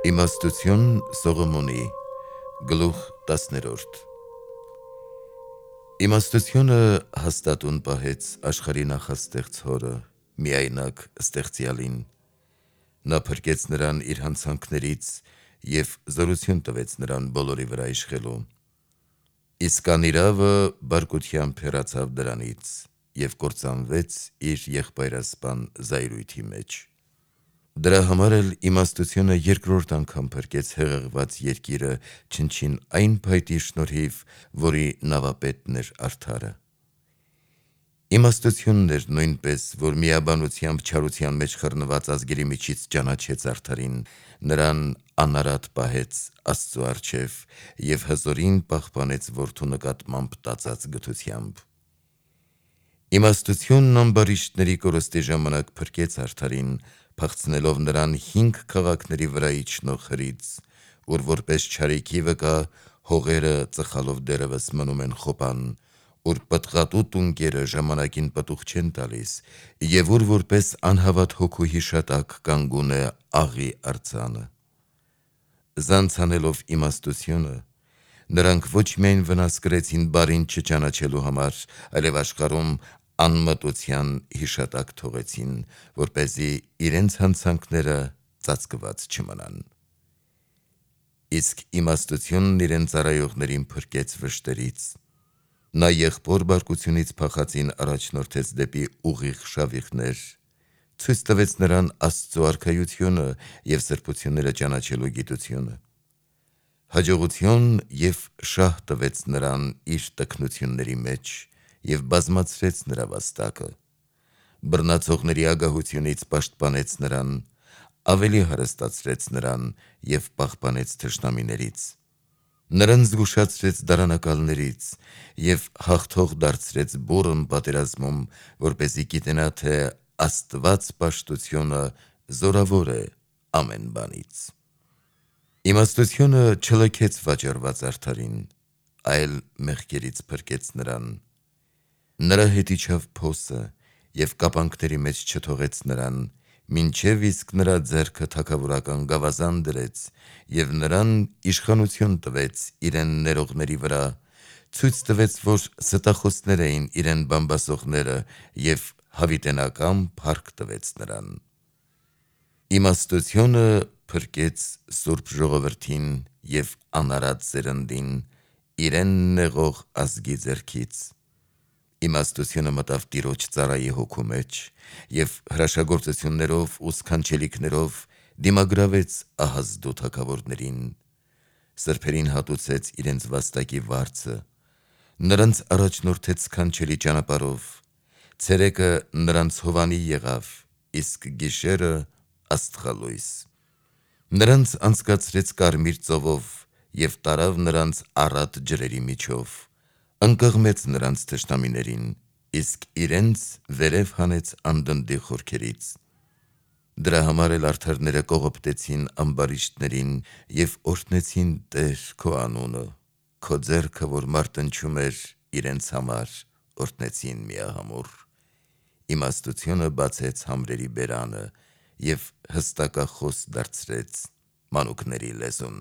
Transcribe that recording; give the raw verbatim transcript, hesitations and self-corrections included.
Իմաստություն Սողոմոնի գլուխ տասներորդ Իմաստությունը հաստատուն պահեց աշխարհի նախաստեղծ հորը, միայնակ ստեղծյալին: Նա փրկեց նրան իր հանցանքներից և զորություն տվեց նրան բոլորի վրա իշխելու: Իսկ անիրավը բարկությամբ հեռացավ դրանից և կործանվեց իր եղբայրասպան զայրույթի մեջ: Դրա համար էլ իմաստությունը երկրորդ անգամ փրկեց հեղեղված երկիրը չնչին այն փայտի շնորհիվ, որի նավապետն էր արդարը: Իմաստությունն էր նույնպես, որ միաբանությամբ չարության մեջ խռնված ազգերի միջից ճանաչեց արդարին, նրան անարատ պահեց Աստծու առջև և հզորին պահպանեց որդու նկատմամբ տածած գթությամբ: Իմաստությունն ամբարիշտների կորստի ժամանակ փրկեց արդարին, փախցնելով նրան հինգ քաղաքների վրա իջնող հրից, ուր որպես չարիքի վկա հողերը ծխալով դեռևս մնում են խոպան, ուր պտղատու տունկերը ժամանակին պտուղ չեն տալիս և ուր որպես անհավատ հոգու հիշատակ կանգուն է աղի արձանը: Զանց անելով իմաստությունը, նրանք ոչ միայն վնաս կրեցին բարին չճանաչելու համար, այլև աշխարհում անմտության հիշատակ թողեցին, որպեսզի իրենց հանցանքները ծածկված չմնան: Իսկ իմաստությունն իրեն ծառայողներին փրկեց վշտերից: Նա եղբոր բարկությունից փախածին առաջնորդեց դեպի ուղիղ շավիղներ, ցույց տվեց նրան Աստծու արքայությունը և սրբությունները ճանաչելու գիտությունը: Հաջողություն և շահ տվեց նրան իր տքնությունների մեջ և բազմացրեց նրա վաստակը: Բռնացողների ագահությունից պաշտպանեց նրան, ավելի հարստացրեց նրան և պահպանեց թշնամիներից: Նրան զգուշացրեց դարանակալներից և հաղթող դարձրեց բուռն պատերազմում, որպեսզի գիտենա, թե Աստված պաշտությունը զորավոր է ամեն բանից: Իմաստությունը չլքեց վաճառված արդարին, այլ մեղքերից փրկեց նրան: Նրա հետ իջավ փոսը և կապանքների մեջ չթողեց նրան, մինչև իսկ նրա ձեռքը թագավորական գավազան դրեց և նրան իշխանություն տվեց իրեն ներողների վրա, ցույց տվեց, որ ստախոսներ էին իրեն բամբասողները և հավիտենական փառք տվեց նրան: Իմաստությունը փրկեց սուրբ ժողովրդին և անարատ սերնդին իրեն նեղող ազգի ձեռքից: Իմաստությունը մտավ Տիրոջ ծառայի հոգու մեջ և հրաշագործություններով ու սքանչելիքներով դիմագրավեց ահազդու թագավորներին: Սրբերին հատուցեց իրենց վաստակի վարձը, նրանց առաջնորդեց սքանչելի ճանապարհով, ցերեկը նրանց հովանի եղավ, իսկ գիշերը աստղալույս: Նրանց անցկացրեց կարմիր ծովով և տարավ նրանց առատ ջրերի միջով, ընկղմեց նրանց թշնամիներին, իսկ իրենց վերև հանեց անդնդի խորքերից: Դրա համար էլ արդարները կողոպտեցին ամբարիշտներին և օրհնեցին Տեր քո անունը, քո ձեռքը, որ մարտնչում էր իրենց համար, օրհնեցին միահամուռ: Իմաստությունը բացեց համրերի բերանը և հստակախոս դարձրեց մանուկների լեզուն: